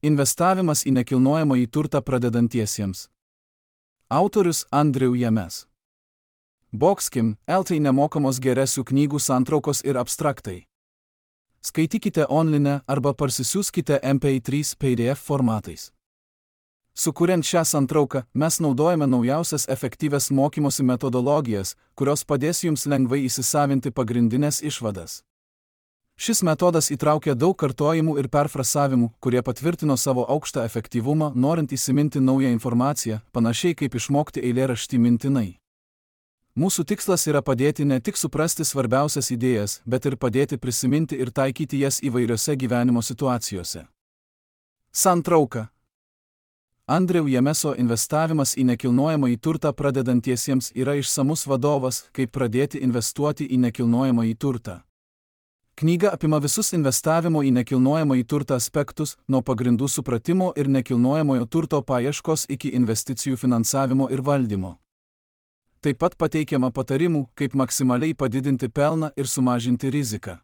Investavimas į nekilnojamąjį turtą pradedantiesiems. Autorius Andriu Jemes. Boxkim, LT nemokamos geresių knygų santraukos ir abstraktai. Skaitykite online arba parsisiųskite MP3 PDF formatais. Sukuriant šią santrauką, mes naudojame naujausias efektyvias mokymosi metodologijas, kurios padės jums lengvai įsisavinti pagrindinės išvadas. Šis metodas įtraukia daug kartojimų ir perfrasavimų, kurie patvirtino savo aukštą efektyvumą, norint įsiminti naują informaciją, panašiai kaip išmokti eilėraštį mintinai. Mūsų tikslas yra padėti ne tik suprasti svarbiausias idėjas, bet ir padėti prisiminti ir taikyti jas įvairiose gyvenimo situacijose. Santrauka. Andriu Jemeso Investavimas į nekilnojamąjį turtą pradedantiesiems yra išsamus vadovas, kaip pradėti investuoti į nekilnojamąjį turtą. Knyga apima visus investavimo į nekilnojamąjį turtą aspektus, nuo pagrindų supratimo ir nekilnojamojo turto paieškos iki investicijų finansavimo ir valdymo. Taip pat pateikiama patarimų, kaip maksimaliai padidinti pelną ir sumažinti riziką.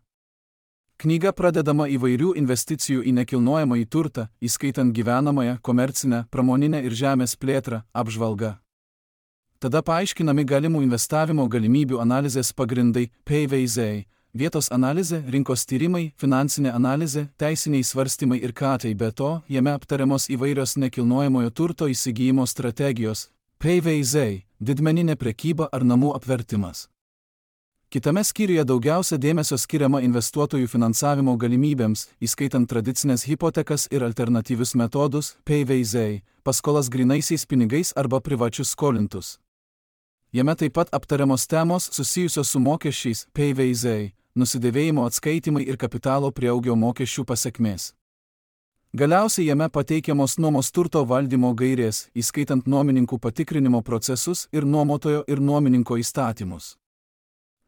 Knyga pradedama įvairių investicijų į nekilnojamąjį turtą, įskaitant gyvenamąją, komercinę, pramoninę ir žemės plėtrą, apžvalga. Tada paaiškinami galimų investavimo galimybių analizės pagrindai, PVZ, vietos analizė, rinkos tyrimai, finansinė analizė, teisiniai svarstymai ir katai, be to, jame aptariamos įvairios nekilnojamojo turto įsigijimo strategijos, PVZ, didmeninė prekyba ar namų apvertimas. Kitame skyriuje daugiausia dėmesio skiriama investuotojų finansavimo galimybėms, įskaitant tradicinės hipotekas ir alternatyvius metodus, PVZ, paskolas grynaisiais pinigais arba privačius skolintus. Jame taip pat aptariamos temos susijusios su mokesčiais, PVZ, nusidėvėjimo atskaitimai ir kapitalo prieaugio mokesčių pasekmės. Galiausiai jame pateikiamos nuomos turto valdymo gairės, įskaitant nuomininkų patikrinimo procesus ir nuomotojo ir nuomininko įstatymus.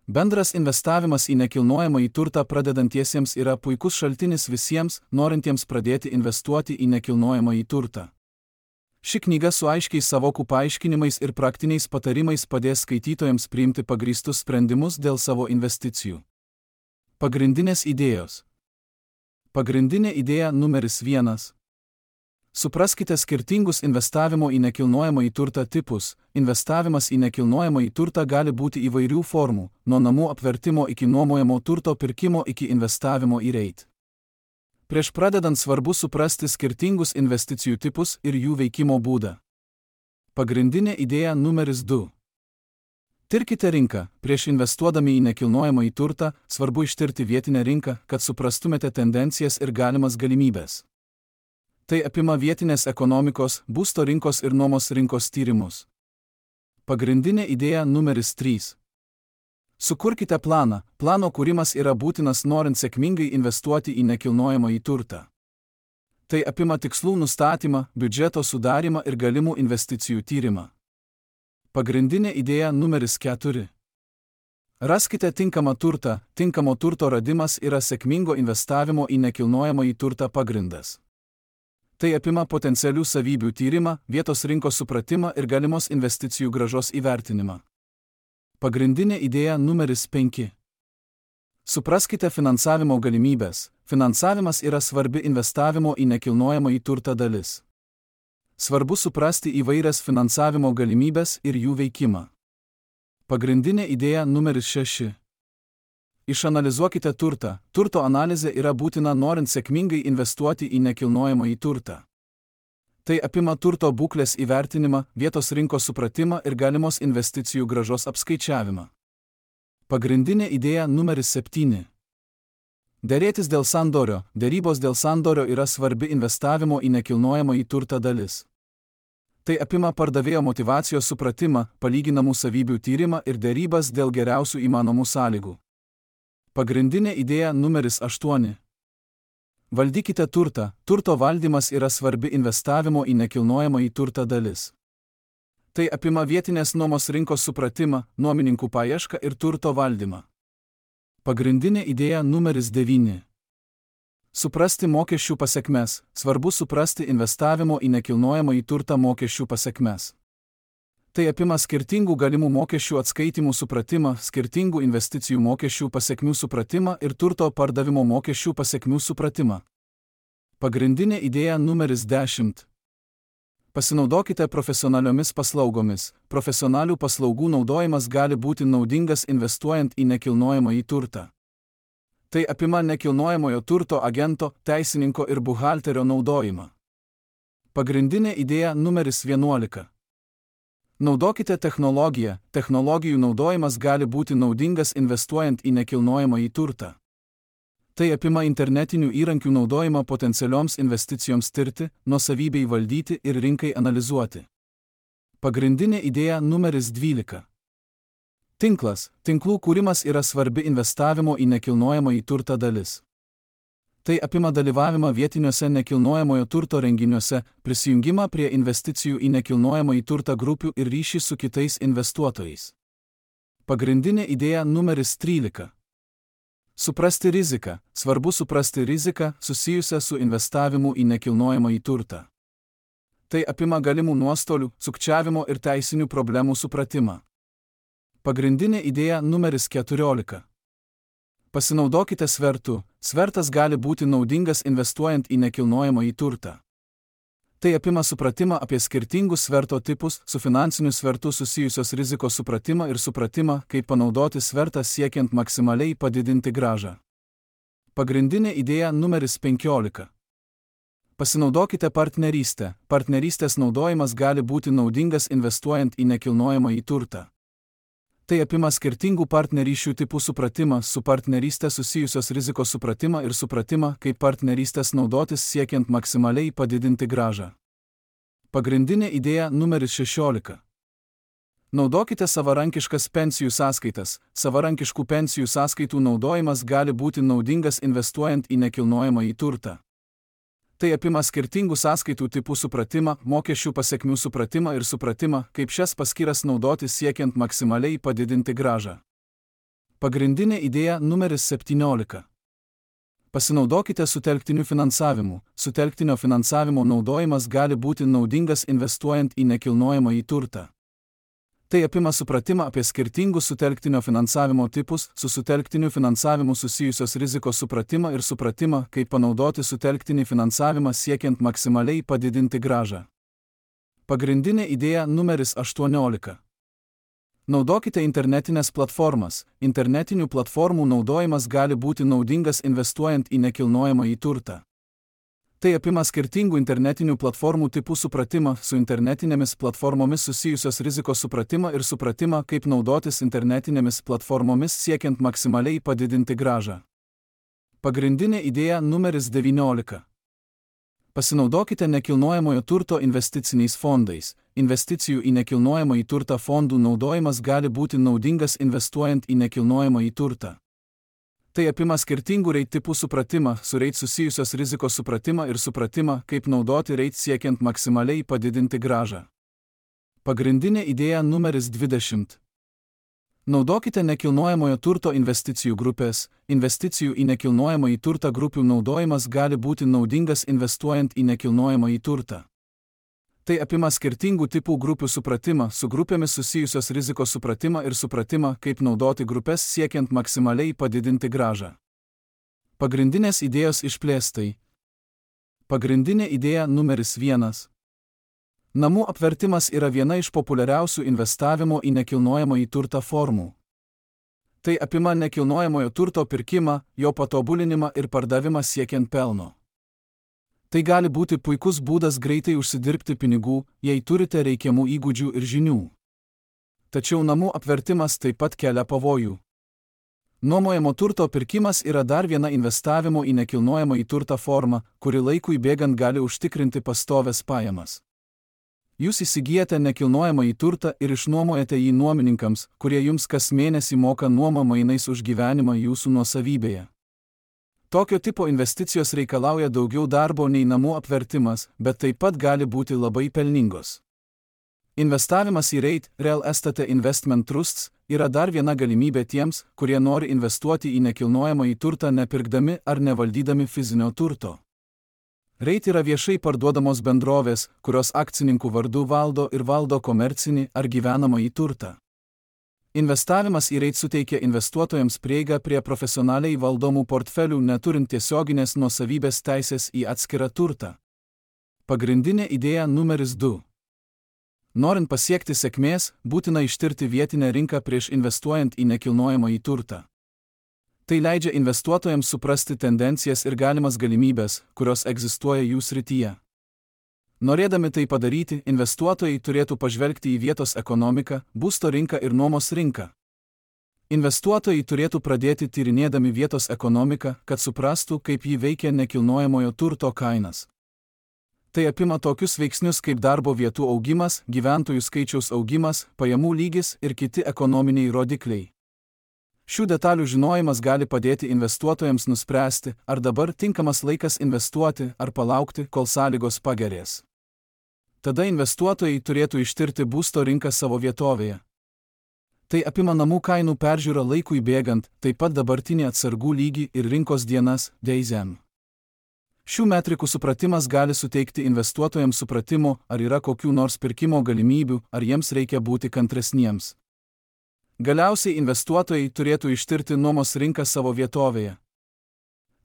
Bendras investavimas į nekilnojamąjį turtą pradedantiesiems yra puikus šaltinis visiems, norintiems pradėti investuoti į nekilnojamąjį turtą. Ši knyga su aiškiais savokų paaiškinimais ir praktiniais patarimais padės skaitytojams priimti pagrįstus sprendimus dėl savo investicijų. Pagrindinės idėjos. Pagrindinė idėja numeris 1. Supraskite skirtingus investavimo į nekilnojamąjį turtą tipus. Investavimas į nekilnojamąjį turtą gali būti įvairių formų, nuo namų apvertimo iki nuomojamo turto pirkimo iki investavimo į REIT. Prieš pradedant svarbu suprasti skirtingus investicijų tipus ir jų veikimo būdą. Pagrindinė idėja numeris 2. Tirkite rinką. Prieš investuodami į nekilnojamąjį turtą, svarbu ištirti vietinę rinką, kad suprastumėte tendencijas ir galimas galimybės. Tai apima vietinės ekonomikos, būsto rinkos ir nuomos rinkos tyrimus. Pagrindinė idėja numeris 3. Sukurkite planą. Plano kūrimas yra būtinas norint sėkmingai investuoti į nekilnojamąjį turtą. Tai apima tikslų nustatymą, biudžeto sudarymą ir galimų investicijų tyrimą. Pagrindinė idėja numeris 4. Raskite tinkamą turtą. Tinkamo turto radimas yra sėkmingo investavimo į nekilnojamąjį turtą pagrindas. Tai apima potencialių savybių tyrimą, vietos rinkos supratimą ir galimos investicijų grąžos įvertinimą. Pagrindinė idėja numeris 5. Supraskite finansavimo galimybės. Finansavimas yra svarbi investavimo į nekilnojamąjį turtą dalis. Svarbu suprasti įvairias finansavimo galimybės ir jų veikimą. Pagrindinė idėja numeris 6. Išanalizuokite turtą. Turto analizė yra būtina norint sėkmingai investuoti į nekilnojamąjį turtą. Tai apima turto būklės įvertinimą, vietos rinkos supratimą ir galimos investicijų grąžos apskaičiavimą. Pagrindinė idėja numeris 7. Derėtis dėl sandorio. Derybos dėl sandorio yra svarbi investavimo į nekilnojamąjį turtą dalis. Tai apima pardavėjo motyvacijos supratimą, palyginamų savybių tyrimą ir derybas dėl geriausių įmanomų sąlygų. Pagrindinė idėja numeris 8. Valdykite turtą. Turto valdymas yra svarbi investavimo į nekilnojamąjį turtą dalis. Tai apima vietinės nuomos rinkos supratimą, nuomininkų paiešką ir turto valdymą. Pagrindinė idėja numeris 9. Suprasti mokesčių pasekmes. Svarbu suprasti investavimo į nekilnojamąjį turtą mokesčių pasekmes. Tai apima skirtingų galimų mokesčių atskaitimų supratimą, skirtingų investicijų mokesčių pasekmių supratimą ir turto pardavimo mokesčių pasekmių supratimą. Pagrindinė idėja numeris 10. Pasinaudokite profesionaliomis paslaugomis. Profesionalių paslaugų naudojimas gali būti naudingas investuojant į nekilnojamąjį turtą. Tai apima nekilnojamojo turto agento, teisininko ir buhalterio naudojimą. Pagrindinė idėja numeris 11. Naudokite technologiją. Technologijų naudojimas gali būti naudingas investuojant į nekilnojamąjį turtą. Tai apima internetinių įrankių naudojimą potencialioms investicijoms tirti, nuosavybei valdyti ir rinkai analizuoti. Pagrindinė idėja numeris 12. Tinklas. Tinklų kūrimas yra svarbi investavimo į nekilnojamąjį turtą dalis. Tai apima dalyvavimą vietiniuose nekilnojamojo turto renginiuose, prisijungimą prie investicijų į nekilnojamąjį turtą grupių ir ryšį su kitais investuotojais. Pagrindinė idėja numeris 13. Suprasti riziką. Svarbu suprasti riziką susijusią su investavimu į nekilnojamąjį turtą. Tai apima galimų nuostolių, sukčiavimo ir teisinių problemų supratimą. Pagrindinė idėja numeris 14. Pasinaudokite svertu. Svertas gali būti naudingas investuojant į nekilnojamąjį turtą. Tai apima supratimą apie skirtingus sverto tipus, su finansiniu svertu susijusios rizikos supratimą ir supratimą, kaip panaudoti svertą siekiant maksimaliai padidinti grąžą. Pagrindinė idėja numeris 15. Pasinaudokite partnerystę. Partnerystės naudojimas gali būti naudingas investuojant į nekilnojamąjį turtą. Tai apima skirtingų partnerysčių tipų supratimą, su partnerystė susijusios rizikos supratimą ir supratimą, kaip partnerystės naudotis siekiant maksimaliai padidinti grąžą. Pagrindinė idėja numeris 16. Naudokite savarankiškas pensijų sąskaitas. Savarankiškų pensijų sąskaitų naudojimas gali būti naudingas investuojant į nekilnojamąjį turtą. Tai apima skirtingų sąskaitų tipų supratimą, mokesčių pasekmių supratimą ir supratimą, kaip šias paskyras naudoti siekiant maksimaliai padidinti grąžą. Pagrindinė idėja numeris 17. Pasinaudokite sutelktiniu finansavimu. Sutelktinio finansavimo naudojimas gali būti naudingas investuojant į nekilnojamąjį turtą. Tai apima supratimą apie skirtingus sutelktinio finansavimo tipus, su sutelktiniu finansavimu susijusios rizikos supratimą ir supratimą, kaip panaudoti sutelktinį finansavimą siekiant maksimaliai padidinti grąžą. Pagrindinė idėja numeris 18. Naudokite internetinės platformas. Internetinių platformų naudojimas gali būti naudingas investuojant į nekilnojamąjį turtą. Tai apima skirtingų internetinių platformų tipų supratimą, su internetinėmis platformomis susijusios rizikos supratimą ir supratimą, kaip naudotis internetinėmis platformomis siekiant maksimaliai padidinti grąžą. Pagrindinė idėja numeris 19. Pasinaudokite nekilnojamojo turto investiciniais fondais. Investicijų į nekilnojamąjį turtą fondų naudojimas gali būti naudingas investuojant į nekilnojamąjį turtą. Tai apima skirtingų REIT tipų supratimą, su REIT susijusios rizikos supratimą ir supratimą, kaip naudoti REIT siekiant maksimaliai padidinti grąžą. Pagrindinė idėja numeris 20. Naudokite nekilnojamojo turto investicijų grupės. Investicijų į nekilnojamąjį turtą grupių naudojimas gali būti naudingas investuojant į nekilnojamąjį turtą. Tai apima skirtingų tipų grupių supratimą, su grupėmis susijusios rizikos supratimą ir supratimą, kaip naudoti grupės siekiant maksimaliai padidinti grąžą. Pagrindinės idėjos išplėstai. Pagrindinė idėja numeris 1. Namų apvertimas yra viena iš populiariausių investavimo į nekilnojamąjį turtą formų. Tai apima nekilnojamojo turto pirkimą, jo patobulinimą ir pardavimą siekiant pelno. Tai gali būti puikus būdas greitai užsidirbti pinigų, jei turite reikiamų įgūdžių ir žinių. Tačiau namų apvertimas taip pat kelia pavojų. Nuomojamo turto pirkimas yra dar viena investavimo į nekilnojamąjį turtą forma, kuri laikui bėgant gali užtikrinti pastovias pajamas. Jūs įsigijate nekilnojamąjį turtą ir išnuomojate jį nuomininkams, kurie jums kas mėnesį moka nuomą mainais už gyvenimą jūsų nuosavybėje. Tokio tipo investicijos reikalauja daugiau darbo nei namų apvertimas, bet taip pat gali būti labai pelningos. Investavimas į REIT, Real Estate Investment Trusts, yra dar viena galimybė tiems, kurie nori investuoti į nekilnojamąjį turtą nepirkdami ar nevaldydami fizinio turto. REIT yra viešai parduodamos bendrovės, kurios akcininkų vardu valdo komercinį ar gyvenamąjį turtą. Investavimas į REIT suteikia investuotojams prieigą prie profesionaliai valdomų portfelių neturint tiesioginės nuosavybės teisės į atskirą turtą. Pagrindinė idėja numeris 2. Norint pasiekti sėkmės, būtina ištirti vietinę rinką prieš investuojant į nekilnojamąjį turtą. Tai leidžia investuotojams suprasti tendencijas ir galimas galimybės, kurios egzistuoja jų srityje. Norėdami tai padaryti, investuotojai turėtų pažvelgti į vietos ekonomiką, būsto rinką ir nuomos rinką. Investuotojai turėtų pradėti tyrinėdami vietos ekonomiką, kad suprastų, kaip ji veikia nekilnojamojo turto kainas. Tai apima tokius veiksnius kaip darbo vietų augimas, gyventojų skaičiaus augimas, pajamų lygis ir kiti ekonominiai rodikliai. Šių detalių žinojimas gali padėti investuotojams nuspręsti, ar dabar tinkamas laikas investuoti ar palaukti, kol sąlygos pagerės. Tada investuotojai turėtų ištirti būsto rinką savo vietovėje. Tai apima namų kainų peržiūrą laikui bėgant, taip pat dabartinį atsargų lygį ir rinkos dienas (DSM). Šių metrikų supratimas gali suteikti investuotojams supratimo, ar yra kokių nors pirkimo galimybių, ar jiems reikia būti kantresniems. Galiausiai investuotojai turėtų ištirti nuomos rinką savo vietovėje.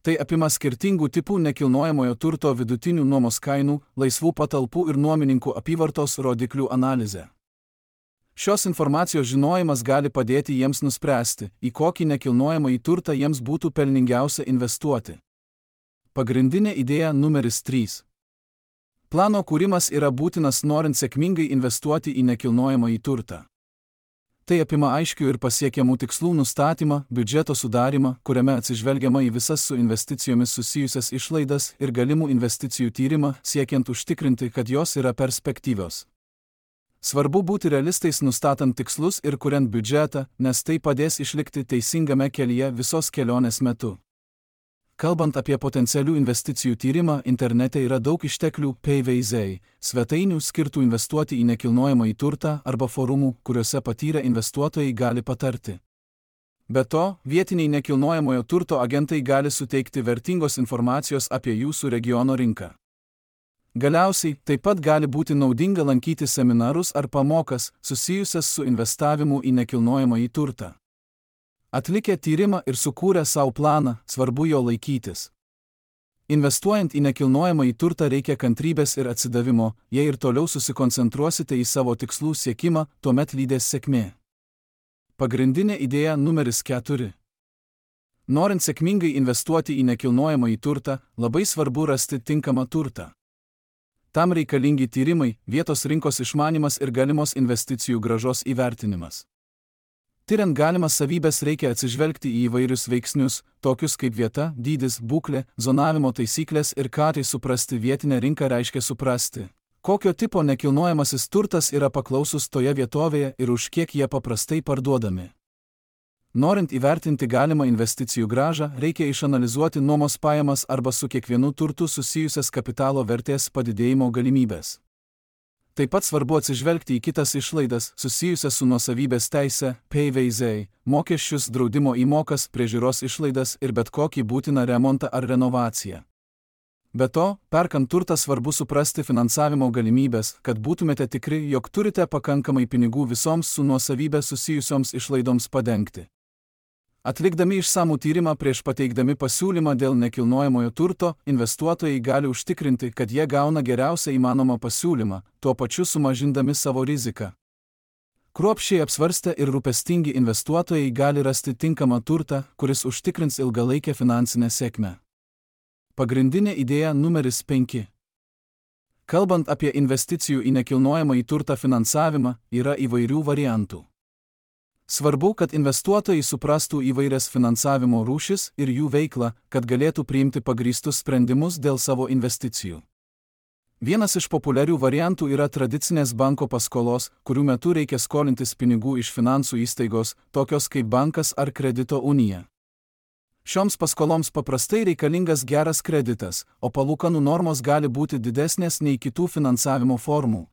Tai apima skirtingų tipų nekilnojamojo turto vidutinių nuomos kainų, laisvų patalpų ir nuomininkų apyvartos rodiklių analizę. Šios informacijos žinojimas gali padėti jiems nuspręsti, į kokį nekilnojamąjį turtą jiems būtų pelningiausia investuoti. Pagrindinė idėja numeris 3. Plano kūrimas yra būtinas norint sėkmingai investuoti į nekilnojamąjį turtą. Tai apima aiškių ir pasiekiamų tikslų nustatymą, biudžeto sudarimą, kuriame atsižvelgiama į visas su investicijomis susijusias išlaidas ir galimų investicijų tyrimą, siekiant užtikrinti, kad jos yra perspektyvios. Svarbu būti realistais nustatant tikslus ir kuriant biudžetą, nes tai padės išlikti teisingame kelyje visos kelionės metu. Kalbant apie potencialių investicijų tyrimą, internete yra daug išteklių PVZ, svetainių skirtų investuoti į nekilnojamąjį turtą arba forumų, kuriuose patyrę investuotojai gali patarti. Be to, vietiniai nekilnojamojo turto agentai gali suteikti vertingos informacijos apie jūsų regiono rinką. Galiausiai, taip pat gali būti naudinga lankyti seminarus ar pamokas susijusias su investavimu į nekilnojamąjį turtą. Atlikę tyrimą ir sukūrę savo planą, svarbu jo laikytis. Investuojant į nekilnojamąjį turtą reikia kantrybės ir atsidavimo, jei ir toliau susikoncentruosite į savo tikslų siekimą, tuomet lydės sėkmė. Pagrindinė idėja numeris 4. Norint sėkmingai investuoti į nekilnojamąjį turtą, labai svarbu rasti tinkamą turtą. Tam reikalingi tyrimai, vietos rinkos išmanymas ir galimos investicijų grąžos įvertinimas. Tyriant galimas savybės reikia atsižvelgti į įvairius veiksnius, tokius kaip vieta, dydis, būklė, zonavimo taisyklės ir ką tai suprasti vietinę rinką reiškia suprasti, kokio tipo nekilnojamasis turtas yra paklausus toje vietovėje ir už kiek jie paprastai parduodami. Norint įvertinti galimą investicijų grąžą, reikia išanalizuoti nuomos pajamas arba su kiekvienu turtu susijusias kapitalo vertės padidėjimo galimybės. Taip pat svarbu atsižvelgti į kitas išlaidas susijusias su nuosavybės teise, PVZ, mokesčius, draudimo įmokas, priežiūros išlaidas ir bet kokį būtiną remontą ar renovaciją. Be to, perkant turtą svarbu suprasti finansavimo galimybės, kad būtumėte tikri, jog turite pakankamai pinigų visoms su nuosavybė susijusioms išlaidoms padengti. Atlikdami išsamų tyrimą prieš pateikdami pasiūlymą dėl nekilnojamojo turto, investuotojai gali užtikrinti, kad jie gauna geriausią įmanomą pasiūlymą, tuo pačiu sumažindami savo riziką. Kruopščiai apsvarstę ir rūpestingi investuotojai gali rasti tinkamą turtą, kuris užtikrins ilgalaikę finansinę sėkmę. Pagrindinė idėja numeris 5. Kalbant apie investicijų į nekilnojamąjį turtą finansavimą, yra įvairių variantų. Svarbu, kad investuotojai suprastų įvairias finansavimo rūšis ir jų veiklą, kad galėtų priimti pagrįstus sprendimus dėl savo investicijų. Vienas iš populiarių variantų yra tradicinės banko paskolos, kurių metu reikia skolintis pinigų iš finansų įstaigos, tokios kaip bankas ar kredito unija. Šioms paskoloms paprastai reikalingas geras kreditas, o palūkanų normos gali būti didesnės nei kitų finansavimo formų.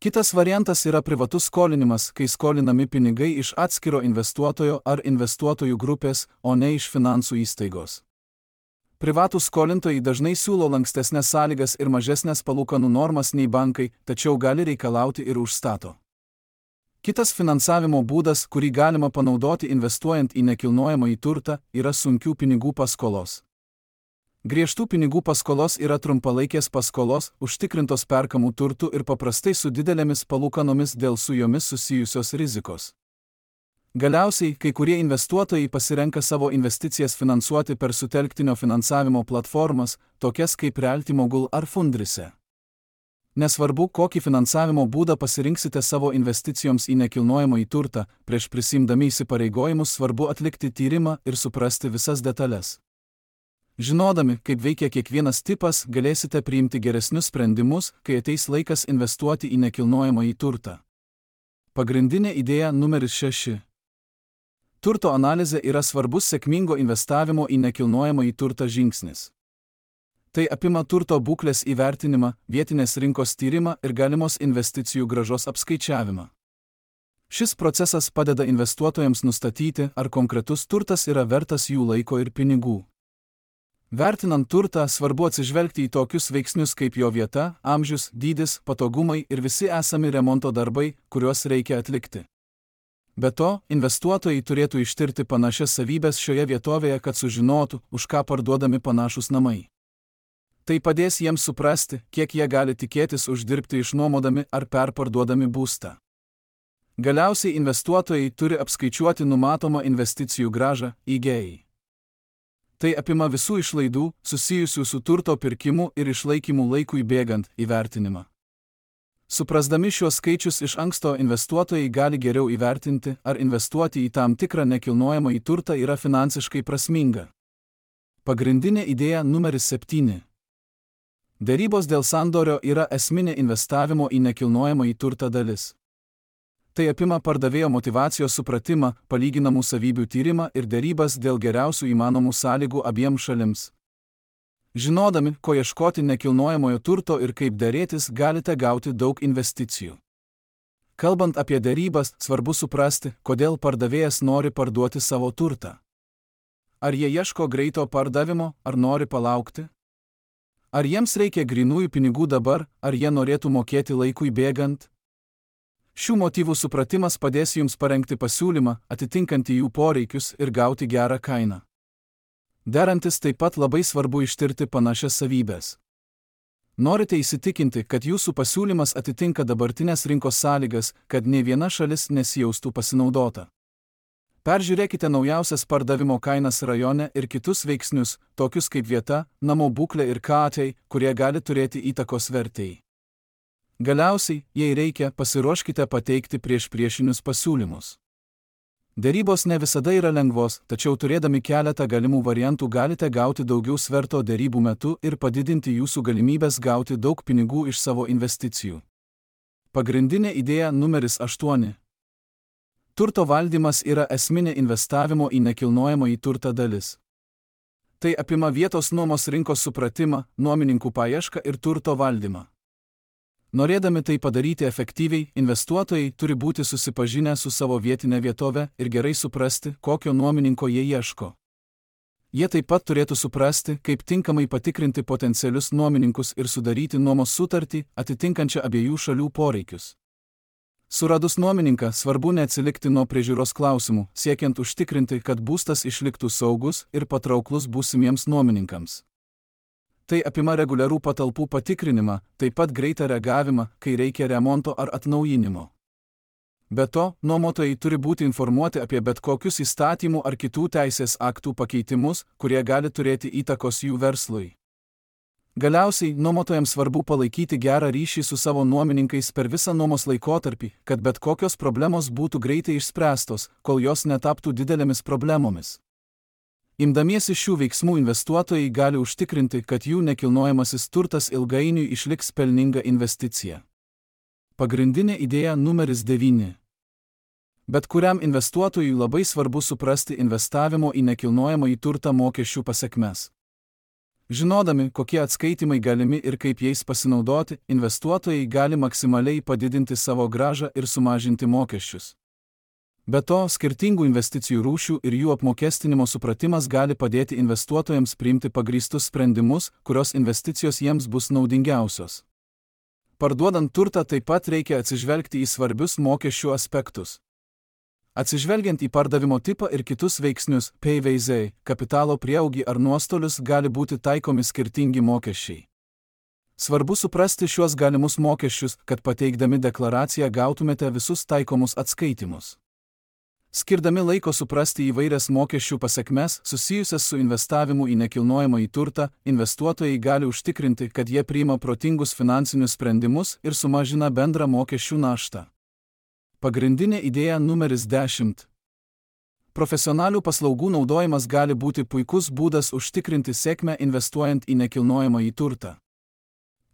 Kitas variantas yra privatus skolinimas, kai skolinami pinigai iš atskiro investuotojo ar investuotojų grupės, o ne iš finansų įstaigos. Privatūs skolintojai dažnai siūlo lankstesnes sąlygas ir mažesnės palūkanų normas nei bankai, tačiau gali reikalauti ir užstato. Kitas finansavimo būdas, kurį galima panaudoti investuojant į nekilnojamąjį turtą, yra sunkių pinigų paskolos. Griežtų pinigų paskolos yra trumpalaikės paskolos, užtikrintos perkamų turtų ir paprastai su didelėmis palūkanomis dėl su jomis susijusios rizikos. Galiausiai, kai kurie investuotojai pasirenka savo investicijas finansuoti per sutelktinio finansavimo platformas, tokias kaip Realty Mogul ar Fundrise. Nesvarbu, kokį finansavimo būdą pasirinksite savo investicijoms į nekilnojamąjį turtą, prieš prisimdami įsipareigojimus svarbu atlikti tyrimą ir suprasti visas detalės. Žinodami, kaip veikia kiekvienas tipas, galėsite priimti geresnius sprendimus, kai ateis laikas investuoti į nekilnojamąjį turtą. Pagrindinė idėja numeris 6. Turto analizė yra svarbus sėkmingo investavimo į nekilnojamąjį turtą žingsnis. Tai apima turto būklės įvertinimą, vietinės rinkos tyrimą ir galimos investicijų grąžos apskaičiavimą. Šis procesas padeda investuotojams nustatyti, ar konkretus turtas yra vertas jų laiko ir pinigų. Vertinant turtą, svarbu atsižvelgti į tokius veiksnius kaip jo vieta, amžius, dydis, patogumai ir visi esami remonto darbai, kuriuos reikia atlikti. Be to, investuotojai turėtų ištirti panašias savybes šioje vietovėje, kad sužinotų, už ką parduodami panašūs namai. Tai padės jiems suprasti, kiek jie gali tikėtis uždirbti išnuomodami ar perparduodami būstą. Galiausiai investuotojai turi apskaičiuoti numatomą investicijų grąžą (IGI). Tai apima visų išlaidų, susijusių su turto pirkimu ir išlaikymu laikui bėgant, įvertinimą. Suprasdami šiuos skaičius iš anksto, investuotojai gali geriau įvertinti, ar investuoti į tam tikrą nekilnojamąjį turtą yra finansiškai prasminga. Pagrindinė idėja numeris 7. Derybos dėl sandorio yra esminė investavimo į nekilnojamąjį turtą dalis. Tai apima pardavėjo motyvacijos supratimą, palyginamų savybių tyrimą ir derybas dėl geriausių įmanomų sąlygų abiems šalims. Žinodami, ko ieškoti nekilnojamojo turto ir kaip derėtis, galite gauti daug investicijų. Kalbant apie derybas, svarbu suprasti, kodėl pardavėjas nori parduoti savo turtą. Ar jie ieško greito pardavimo, ar nori palaukti? Ar jiems reikia grynųjų pinigų dabar, ar jie norėtų mokėti laikui bėgant? Šių motyvų supratimas padės jums parengti pasiūlymą, atitinkantį jų poreikius ir gauti gerą kainą. Derantis taip pat labai svarbu ištirti panašias savybės. Norite įsitikinti, kad jūsų pasiūlymas atitinka dabartinės rinkos sąlygas, kad nė viena šalis nesijaustų pasinaudota. Peržiūrėkite naujausias pardavimo kainas rajone ir kitus veiksnius, tokius kaip vieta, namo būklė ir katai, kurie gali turėti įtakos vertei. Galiausiai, jei reikia, pasiruoškite pateikti priešinius pasiūlymus. Derybos ne visada yra lengvos, tačiau turėdami keletą galimų variantų galite gauti daugiau sverto derybų metu ir padidinti jūsų galimybės gauti daug pinigų iš savo investicijų. Pagrindinė idėja numeris 8. Turto valdymas yra esminė investavimo į nekilnojamąjį turtą dalis. Tai apima vietos nuomos rinkos supratimą, nuomininkų paiešką ir turto valdymą. Norėdami tai padaryti efektyviai, investuotojai turi būti susipažinę su savo vietinė vietove ir gerai suprasti, kokio nuomininko jie ieško. Jie taip pat turėtų suprasti, kaip tinkamai patikrinti potencialius nuomininkus ir sudaryti nuomos sutartį, atitinkančią abiejų šalių poreikius. Suradus nuomininką, svarbu neatsilikti nuo priežiūros klausimų, siekiant užtikrinti, kad būstas išliktų saugus ir patrauklus būsimiems nuomininkams. Tai apima reguliarų patalpų patikrinimą, taip pat greitą reagavimą, kai reikia remonto ar atnaujinimo. Be to, nuomotojai turi būti informuoti apie bet kokius įstatymų ar kitų teisės aktų pakeitimus, kurie gali turėti įtakos jų verslui. Galiausiai, nuomotojams svarbu palaikyti gerą ryšį su savo nuomininkais per visą nuomos laikotarpį, kad bet kokios problemos būtų greitai išspręstos, kol jos netaptų didelėmis problemomis. Imdamiesi šių veiksmų investuotojai gali užtikrinti, kad jų nekilnojamasis turtas ilgainiui išliks pelninga investicija. Pagrindinė idėja numeris 9. Bet kuriam investuotojui labai svarbu suprasti investavimo į nekilnojamąjį turtą mokesčių pasekmes. Žinodami, kokie atskaitimai galimi ir kaip jais pasinaudoti, investuotojai gali maksimaliai padidinti savo grąžą ir sumažinti mokesčius. Be to, skirtingų investicijų rūšių ir jų apmokestinimo supratimas gali padėti investuotojams priimti pagrįstus sprendimus, kurios investicijos jiems bus naudingiausios. Parduodant turtą taip pat reikia atsižvelgti į svarbius mokesčių aspektus. Atsižvelgiant į pardavimo tipą ir kitus veiksnius, PVZ, kapitalo prieaugį ar nuostolius gali būti taikomi skirtingi mokesčiai. Svarbu suprasti šiuos galimus mokesčius, kad pateikdami deklaraciją gautumėte visus taikomus atskaitimus. Skirdami laiko suprasti įvairias mokesčių pasekmes susijusias su investavimu į nekilnojamąjį turtą, investuotojai gali užtikrinti, kad jie priima protingus finansinius sprendimus ir sumažina bendrą mokesčių naštą. Pagrindinė idėja numeris 10. Profesionalių paslaugų naudojimas gali būti puikus būdas užtikrinti sėkmę investuojant į nekilnojamąjį turtą.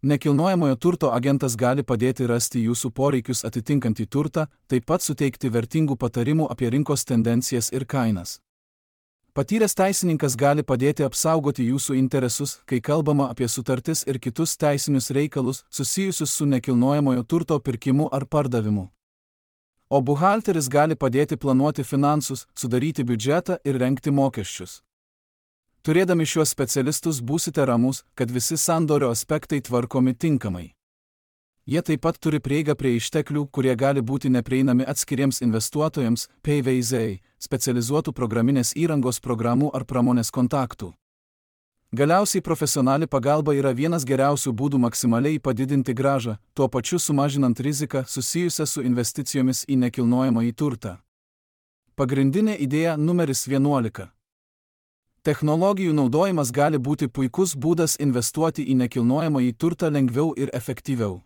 Nekilnojamojo turto agentas gali padėti rasti jūsų poreikius atitinkantį turtą, taip pat suteikti vertingų patarimų apie rinkos tendencijas ir kainas. Patyręs teisininkas gali padėti apsaugoti jūsų interesus, kai kalbama apie sutartis ir kitus teisinius reikalus susijusius su nekilnojamojo turto pirkimu ar pardavimu. O buhalteris gali padėti planuoti finansus, sudaryti biudžetą ir rengti mokesčius. Turėdami šiuos specialistus būsite ramus, kad visi sandorio aspektai tvarkomi tinkamai. Jie taip pat turi prieigą prie išteklių, kurie gali būti neprieinami atskiriems investuotojams, PVZ, specializuotų programinės įrangos programų ar pramonės kontaktų. Galiausiai profesionali pagalba yra vienas geriausių būdų maksimaliai padidinti grąžą, tuo pačiu sumažinant riziką susijusią su investicijomis į nekilnojamąjį turtą. Pagrindinė idėja numeris 11. Technologijų naudojimas gali būti puikus būdas investuoti į nekilnojamąjį turtą lengviau ir efektyviau.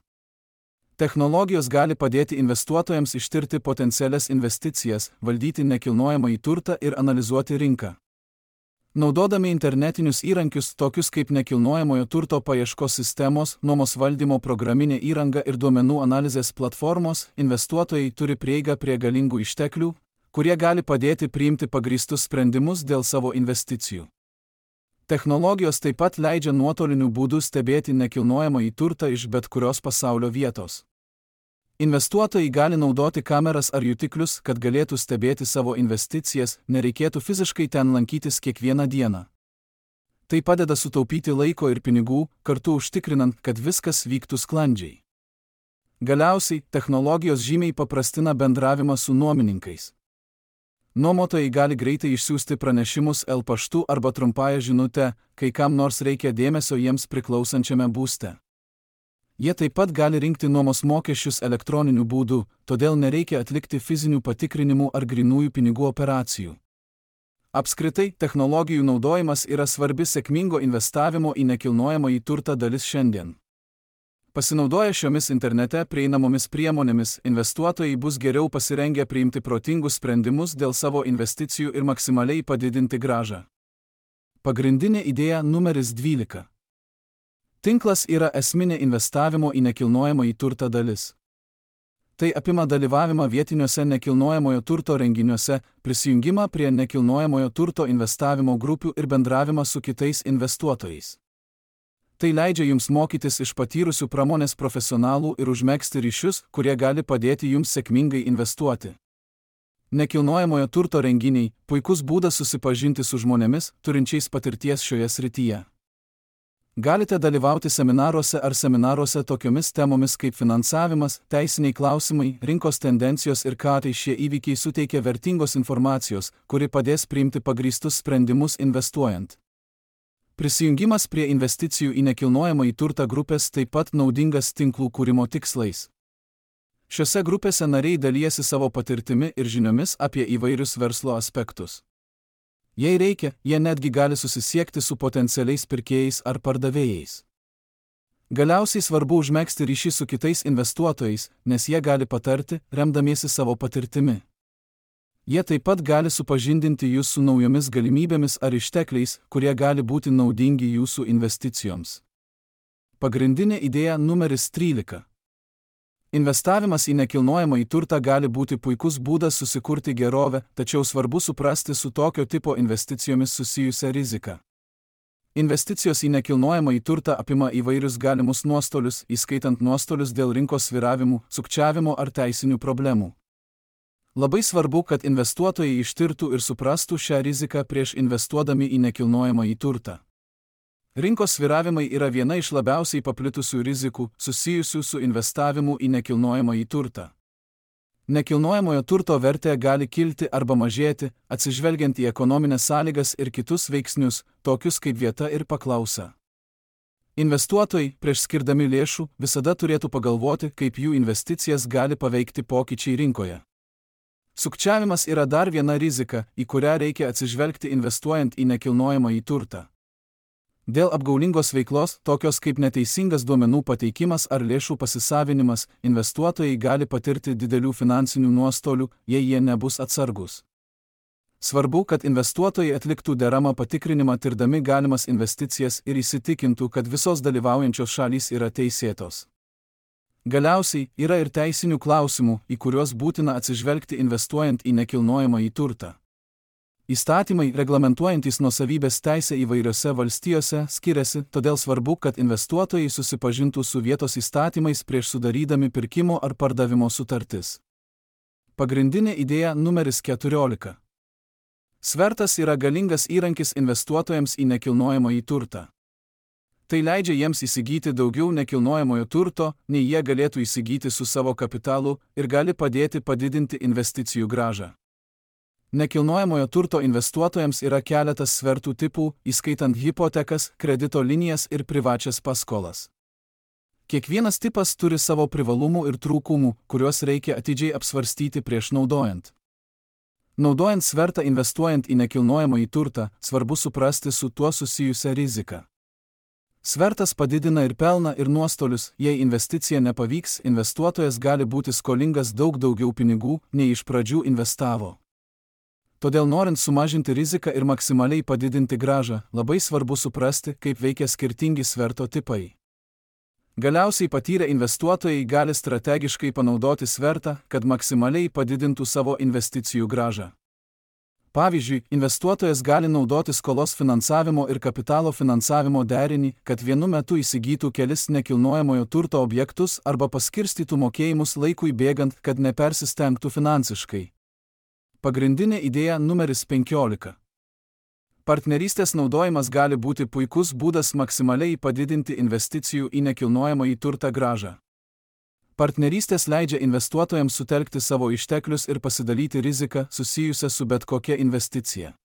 Technologijos gali padėti investuotojams ištirti potencialias investicijas, valdyti nekilnojamąjį turtą ir analizuoti rinką. Naudodami internetinius įrankius tokius kaip nekilnojamojo turto paieškos sistemos, nuomos valdymo programinė įranga ir duomenų analizės platformos, investuotojai turi prieigą prie galingų išteklių, kurie gali padėti priimti pagrįstus sprendimus dėl savo investicijų. Technologijos taip pat leidžia nuotoliniu būdu stebėti nekilnojamąjį turtą iš bet kurios pasaulio vietos. Investuotojai gali naudoti kameras ar jutiklius, kad galėtų stebėti savo investicijas, nereikėtų fiziškai ten lankytis kiekvieną dieną. Tai padeda sutaupyti laiko ir pinigų, kartu užtikrinant, kad viskas vyktų sklandžiai. Galiausiai, technologijos žymiai paprastina bendravimą su nuomininkais. Nuomotojai gali greitai išsiųsti pranešimus paštu arba trumpąją žinutę, kai kam nors reikia dėmesio jiems priklausančiame būste. Jie taip pat gali rinkti nuomos mokesčius elektroniniu būdu, todėl nereikia atlikti fizinių patikrinimų ar grynųjų pinigų operacijų. Apskritai, technologijų naudojimas yra svarbi sėkmingo investavimo į nekilnojamąjį turtą dalis šiandien. Pasinaudoję šiomis internete prieinamomis priemonėmis, investuotojai bus geriau pasirengę priimti protingus sprendimus dėl savo investicijų ir maksimaliai padidinti grąžą. Pagrindinė idėja numeris 12. Tinklas yra esminė investavimo į nekilnojamąjį turtą dalis. Tai apima dalyvavimą vietiniuose nekilnojamojo turto renginiuose, prisijungimą prie nekilnojamojo turto investavimo grupių ir bendravimą su kitais investuotojais. Tai leidžia jums mokytis iš patyrusių pramonės profesionalų ir užmegzti ryšius, kurie gali padėti jums sėkmingai investuoti. Nekilnojamojo turto renginiai – puikus būdas susipažinti su žmonėmis, turinčiais patirties šioje srityje. Galite dalyvauti seminaruose tokiomis temomis kaip finansavimas, teisiniai klausimai, rinkos tendencijos ir ką tai šie įvykiai suteikia vertingos informacijos, kuri padės priimti pagrįstus sprendimus investuojant. Prisijungimas prie investicijų į nekilnojamąjį turtą grupės taip pat naudingas tinklų kūrimo tikslais. Šiose grupėse nariai dalijasi savo patirtimi ir žiniomis apie įvairius verslo aspektus. Jei reikia, jie netgi gali susisiekti su potencialiais pirkėjais ar pardavėjais. Galiausiai svarbu užmegzti ryšį su kitais investuotojais, nes jie gali patarti, remdamiesi savo patirtimi. Jie taip pat gali supažindinti jūs su naujomis galimybėmis ar ištekliais, kurie gali būti naudingi jūsų investicijoms. Pagrindinė idėja numeris 13. Investavimas į nekilnojamąjį turtą gali būti puikus būdas susikurti gerovę, tačiau svarbu suprasti su tokio tipo investicijomis susijusią riziką. Investicijos į nekilnojamąjį turtą apima įvairius galimus nuostolius, įskaitant nuostolius dėl rinkos svyravimų, sukčiavimo ar teisinių problemų. Labai svarbu, kad investuotojai ištirtų ir suprastų šią riziką prieš investuodami į nekilnojamąjį turtą. Rinkos svyravimai yra viena iš labiausiai paplitusių rizikų susijusių su investavimu į nekilnojamąjį turtą. Nekilnojamojo turto vertė gali kilti arba mažėti, atsižvelgiant į ekonominės sąlygas ir kitus veiksnius, tokius kaip vieta ir paklausa. Investuotojai, prieš skirdami lėšų, visada turėtų pagalvoti, kaip jų investicijas gali paveikti pokyčiai rinkoje. Sukčiavimas yra dar viena rizika, į kurią reikia atsižvelgti investuojant į nekilnojamąjį turtą. Dėl apgaulingos veiklos, tokios kaip neteisingas duomenų pateikimas ar lėšų pasisavinimas, investuotojai gali patirti didelių finansinių nuostolių, jei jie nebus atsargūs. Svarbu, kad investuotojai atliktų deramą patikrinimą tirdami galimas investicijas ir įsitikintų, kad visos dalyvaujančios šalys yra teisėtos. Galiausiai, yra ir teisinių klausimų, į kuriuos būtina atsižvelgti investuojant į nekilnojamąjį turtą. Įstatymai, reglamentuojantys nuosavybės teisę įvairiose valstijose, skiriasi, todėl svarbu, kad investuotojai susipažintų su vietos įstatymais prieš sudarydami pirkimo ar pardavimo sutartis. Pagrindinė idėja numeris 14. Svertas yra galingas įrankis investuotojams į nekilnojamąjį turtą. Tai leidžia jiems įsigyti daugiau nekilnojamojo turto, nei jie galėtų įsigyti su savo kapitalu ir gali padėti padidinti investicijų grąžą. Nekilnojamojo turto investuotojams yra keletas svertų tipų, įskaitant hipotekas, kredito linijas ir privačias paskolas. Kiekvienas tipas turi savo privalumų ir trūkumų, kuriuos reikia atidžiai apsvarstyti prieš naudojant. Naudojant svertą investuojant į nekilnojamąjį turtą, svarbu suprasti su tuo susijusią riziką. Svertas padidina ir pelną ir nuostolius, jei investicija nepavyks, investuotojas gali būti skolingas daug daugiau pinigų, nei iš pradžių investavo. Todėl norint sumažinti riziką ir maksimaliai padidinti grąžą, labai svarbu suprasti, kaip veikia skirtingi sverto tipai. Galiausiai patyrę investuotojai gali strategiškai panaudoti svertą, kad maksimaliai padidintų savo investicijų grąžą. Pavyzdžiui, investuotojas gali naudoti skolos finansavimo ir kapitalo finansavimo derinį, kad vienu metu įsigytų kelis nekilnojamojo turto objektus arba paskirstytų mokėjimus laikui bėgant, kad nepersistengtų finansiškai. Pagrindinė idėja numeris 15. Partnerystės naudojimas gali būti puikus būdas maksimaliai padidinti investicijų į nekilnojamąjį turtą grąžą. Partnerystės leidžia investuotojams sutelkti savo išteklius ir pasidalyti riziką susijusią su bet kokia investicija.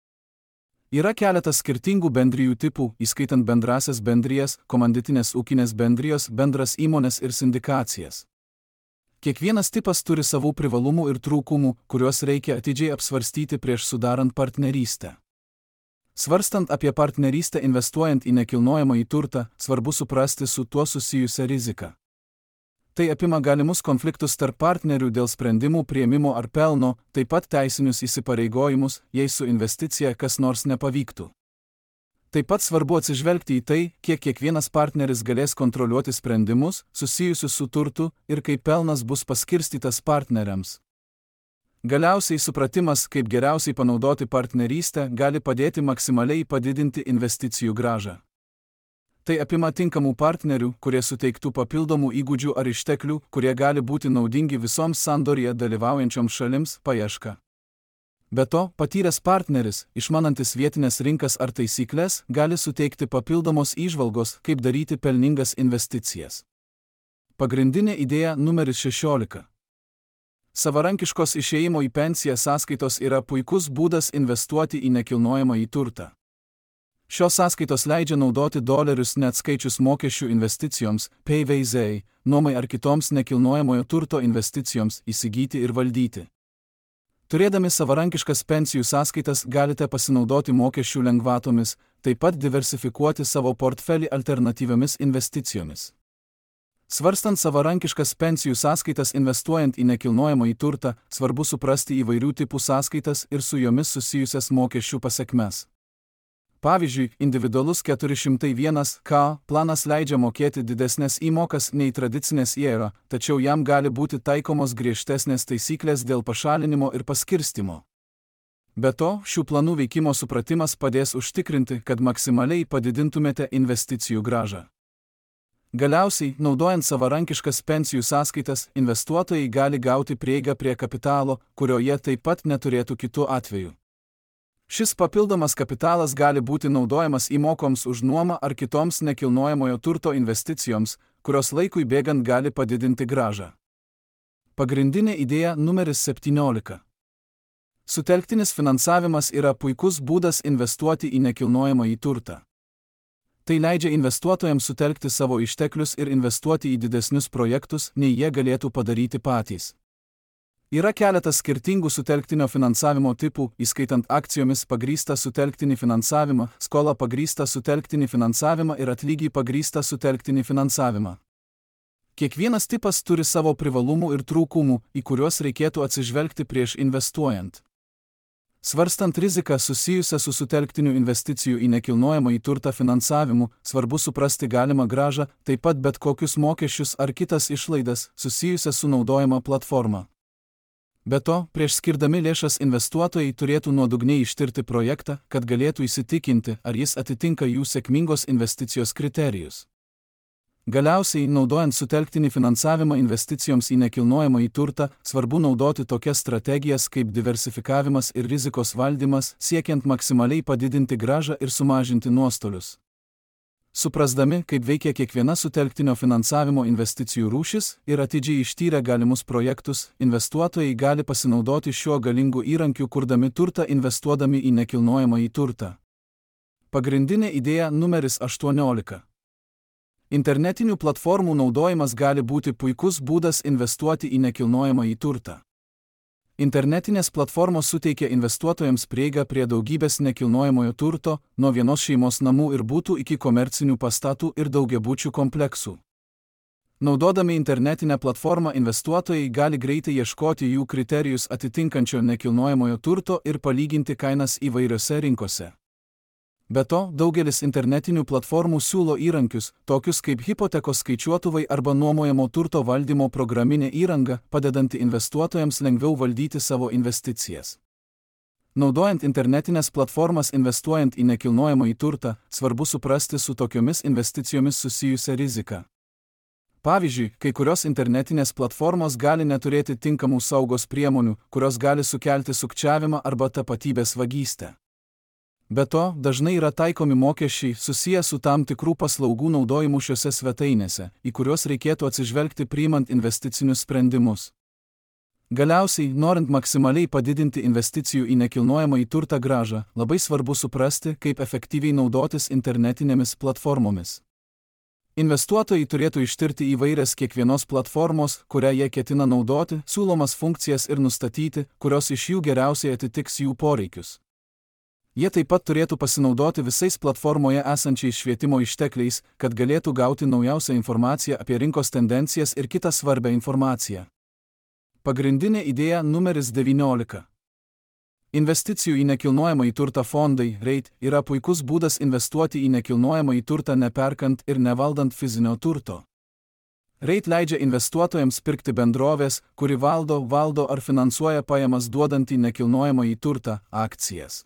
Yra keletas skirtingų bendrijų tipų, įskaitant bendrasias bendrijas, komanditinės ūkinės bendrijos, bendras įmonės ir sindikacijas. Kiekvienas tipas turi savų privalumų ir trūkumų, kuriuos reikia atidžiai apsvarstyti prieš sudarant partnerystę. Svarstant apie partnerystę investuojant į nekilnojamąjį turtą, svarbu suprasti su tuo susijusią riziką. Tai apima galimus konfliktus tarp partnerių dėl sprendimų priėmimo ar pelno, taip pat teisinius įsipareigojimus, jei su investicija kas nors nepavyktų. Taip pat svarbu atsižvelgti į tai, kiek kiekvienas partneris galės kontroliuoti sprendimus, susijusius su turtu, ir kaip pelnas bus paskirstytas partneriams. Galiausiai supratimas, kaip geriausiai panaudoti partnerystę, gali padėti maksimaliai padidinti investicijų grąžą. Tai apima tinkamų partnerių, kurie suteiktų papildomų įgūdžių ar išteklių, kurie gali būti naudingi visoms sandorėje dalyvaujančioms šalims, paieška. Be to, patyręs partneris, išmanantis vietinės rinkas ar taisyklės, gali suteikti papildomos įžvalgos, kaip daryti pelningas investicijas. Pagrindinė idėja numeris 16. Savarankiškos išėjimo į pensiją sąskaitos yra puikus būdas investuoti į nekilnojamąjį turtą. Šios sąskaitos leidžia naudoti dolerius neatskaičius mokesčių investicijoms, PVZ, nuomai ar kitoms nekilnojamojo turto investicijoms įsigyti ir valdyti. Turėdami savarankiškas pensijų sąskaitas galite pasinaudoti mokesčių lengvatomis, taip pat diversifikuoti savo portfelį alternatyviomis investicijomis. Svarstant savarankiškas pensijų sąskaitas investuojant į nekilnojamąjį turtą, svarbu suprasti įvairių tipų sąskaitas ir su jomis susijusias mokesčių pasekmes. Pavyzdžiui, individualus 401k planas leidžia mokėti didesnės įmokas nei tradicinės IRA, tačiau jam gali būti taikomos griežtesnės taisyklės dėl pašalinimo ir paskirstimo. Be to, šių planų veikimo supratimas padės užtikrinti, kad maksimaliai padidintumėte investicijų grąžą. Galiausiai, naudojant savarankiškas pensijų sąskaitas, investuotojai gali gauti prieigą prie kapitalo, kurio jie taip pat neturėtų kitu atveju. Šis papildomas kapitalas gali būti naudojamas įmokoms už nuomą ar kitoms nekilnojamojo turto investicijoms, kurios laikui bėgant gali padidinti grąžą. Pagrindinė idėja numeris 17. Sutelktinis finansavimas yra puikus būdas investuoti į nekilnojamąjį turtą. Tai leidžia investuotojams sutelkti savo išteklius ir investuoti į didesnius projektus, nei jie galėtų padaryti patys. Yra keletas skirtingų sutelktinio finansavimo tipų, įskaitant akcijomis pagrįstą sutelktinį finansavimą, skolą pagrįstą sutelktinį finansavimą ir atlygį pagrįstą sutelktinį finansavimą. Kiekvienas tipas turi savo privalumų ir trūkumų, į kuriuos reikėtų atsižvelgti prieš investuojant. Svarstant riziką susijusią su sutelktiniu investicijų į nekilnojamąjį turtą finansavimu, svarbu suprasti galimą grąžą, taip pat bet kokius mokesčius ar kitas išlaidas susijusias su naudojama platforma. Be to, prieš skirdami lėšas investuotojai turėtų nuodugniai ištirti projektą, kad galėtų įsitikinti, ar jis atitinka jų sėkmingos investicijos kriterijus. Galiausiai, naudojant sutelktinį finansavimą investicijoms į nekilnojamąjį turtą, svarbu naudoti tokias strategijas kaip diversifikavimas ir rizikos valdymas, siekiant maksimaliai padidinti grąžą ir sumažinti nuostolius. Suprasdami, kaip veikia kiekviena sutelktinio finansavimo investicijų rūšis ir atidžiai ištyrę galimus projektus, investuotojai gali pasinaudoti šiuo galingu įrankiu, kurdami turtą investuodami į nekilnojamąjį turtą. Pagrindinė idėja numeris 18. Internetinių platformų naudojimas gali būti puikus būdas investuoti į nekilnojamąjį turtą. Internetinės platformos suteikia investuotojams prieigą prie daugybės nekilnojamojo turto, nuo vienos šeimos namų ir butų iki komercinių pastatų ir daugiabučių kompleksų. Naudodami internetinę platformą investuotojai gali greitai ieškoti jų kriterijus atitinkančio nekilnojamojo turto ir palyginti kainas įvairiose rinkose. Be to, daugelis internetinių platformų siūlo įrankius, tokius kaip hipotekos skaičiuotuvai arba nuomojamo turto valdymo programinė įranga, padedanti investuotojams lengviau valdyti savo investicijas. Naudojant internetinės platformas investuojant į nekilnojamąjį turtą, svarbu suprasti su tokiomis investicijomis susijusią riziką. Pavyzdžiui, kai kurios internetinės platformos gali neturėti tinkamų saugos priemonių, kurios gali sukelti sukčiavimą arba tapatybės vagystę. Be to, dažnai yra taikomi mokesčiai susiję su tam tikrų paslaugų naudojimu šiose svetainėse, į kuriuos reikėtų atsižvelgti priimant investicinius sprendimus. Galiausiai, norint maksimaliai padidinti investicijų į nekilnojamąjį turtą grąžą, labai svarbu suprasti, kaip efektyviai naudotis internetinėmis platformomis. Investuotojai turėtų ištirti įvairias kiekvienos platformos, kurią jie ketina naudoti, siūlomas funkcijas ir nustatyti, kurios iš jų geriausiai atitiks jų poreikius. Jie taip pat turėtų pasinaudoti visais platformoje esančiais švietimo ištekliais, kad galėtų gauti naujausią informaciją apie rinkos tendencijas ir kitą svarbią informaciją. Pagrindinė idėja numeris 19. Investicijų į nekilnojamąjį turtą fondai, REIT, yra puikus būdas investuoti į nekilnojamąjį turtą neperkant ir nevaldant fizinio turto. REIT leidžia investuotojams pirkti bendrovės, kuri valdo ar finansuoja pajamas duodantį nekilnojamąjį turtą, akcijas.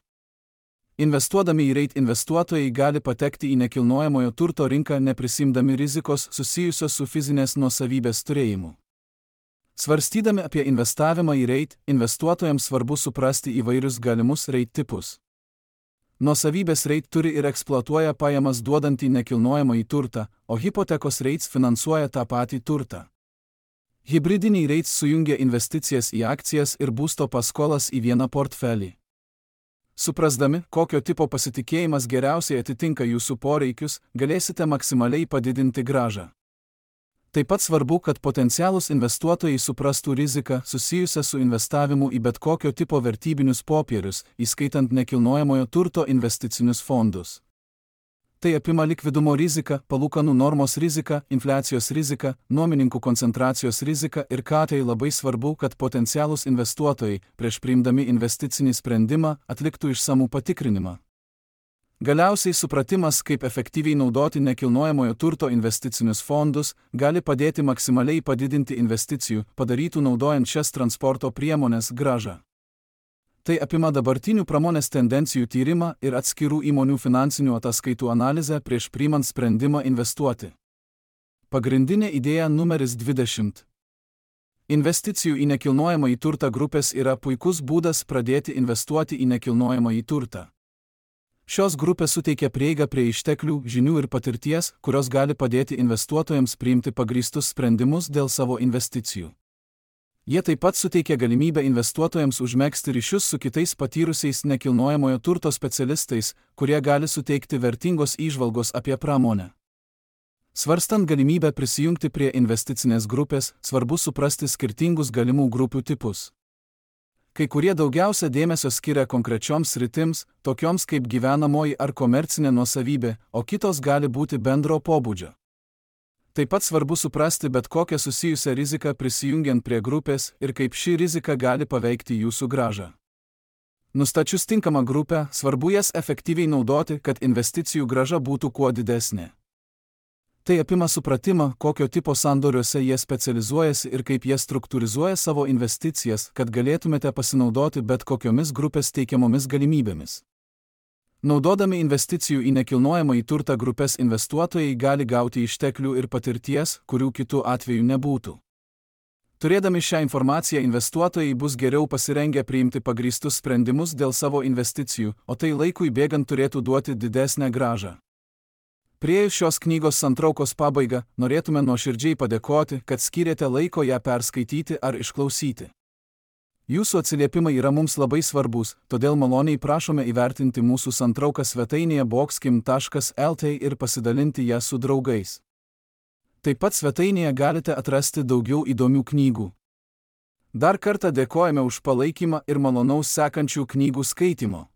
Investuodami į REIT investuotojai gali patekti į nekilnojamojo turto rinką neprisimdami rizikos susijusios su fizinės nuosavybės turėjimu. Svarstydami apie investavimą į REIT, investuotojams svarbu suprasti įvairius galimus REIT tipus. Nuosavybės REIT turi ir eksploatuoja pajamas duodantį nekilnojamąjį turtą, o hipotekos REITs finansuoja tą patį turtą. Hibridiniai REITs sujungia investicijas į akcijas ir būsto paskolas į vieną portfelį. Suprasdami, kokio tipo pasitikėjimas geriausiai atitinka jūsų poreikius, galėsite maksimaliai padidinti grąžą. Taip pat svarbu, kad potencialūs investuotojai suprastų riziką susijusią su investavimu į bet kokio tipo vertybinius popierius, įskaitant nekilnojamojo turto investicinius fondus. Tai apima likvidumo riziką, palūkanų normos riziką, infliacijos riziką, nuomininkų koncentracijos riziką ir tai labai svarbu, kad potencialūs investuotojai, prieš priimdami investicinį sprendimą, atliktų išsamų patikrinimą. Galiausiai supratimas, kaip efektyviai naudoti nekilnojamojo turto investicinius fondus, gali padėti maksimaliai padidinti investicijų, padarytų naudojant šias transporto priemonės grąžą. Tai apima dabartinių pramonės tendencijų tyrimą ir atskirų įmonių finansinių ataskaitų analizę prieš priimant sprendimą investuoti. Pagrindinė idėja numeris 20. Investicijų į nekilnojamąjį turtą grupės yra puikus būdas pradėti investuoti į nekilnojamąjį turtą. Šios grupės suteikia prieigą prie išteklių, žinių ir patirties, kurios gali padėti investuotojams priimti pagrįstus sprendimus dėl savo investicijų. Jie taip pat suteikia galimybę investuotojams užmegzti ryšius su kitais patyrusiais nekilnojamojo turto specialistais, kurie gali suteikti vertingos įžvalgos apie pramonę. Svarstant galimybę prisijungti prie investicinės grupės, svarbu suprasti skirtingus galimų grupių tipus. Kai kurie daugiausia dėmesio skiria konkrečioms sritims, tokioms kaip gyvenamoji ar komercinė nuosavybė, o kitos gali būti bendro pobūdžio. Taip pat svarbu suprasti bet kokią susijusią riziką prisijungiant prie grupės ir kaip ši rizika gali paveikti jūsų grąžą. Nustačius tinkamą grupę, svarbu jas efektyviai naudoti, kad investicijų grąža būtų kuo didesnė. Tai apima supratimą, kokio tipo sandoriuose jie specializuojasi ir kaip jie struktūrizuoja savo investicijas, kad galėtumėte pasinaudoti bet kokiomis grupės teikiamomis galimybėmis. Naudodami investicijų į nekilnojamąjį turtą grupės investuotojai gali gauti išteklių ir patirties, kurių kitų atveju nebūtų. Turėdami šią informaciją investuotojai bus geriau pasirengę priimti pagrįstus sprendimus dėl savo investicijų, o tai laikui bėgant turėtų duoti didesnę grąžą. Priėjus šios knygos santraukos pabaigą, norėtume nuoširdžiai padėkoti, kad skyrėte laiko ją perskaityti ar išklausyti. Jūsų atsiliepimai yra mums labai svarbus, todėl maloniai prašome įvertinti mūsų santrauką svetainėje boxkim.lt ir pasidalinti ją su draugais. Taip pat svetainėje galite atrasti daugiau įdomių knygų. Dar kartą dėkojame už palaikymą ir malonaus sekančių knygų skaitymo.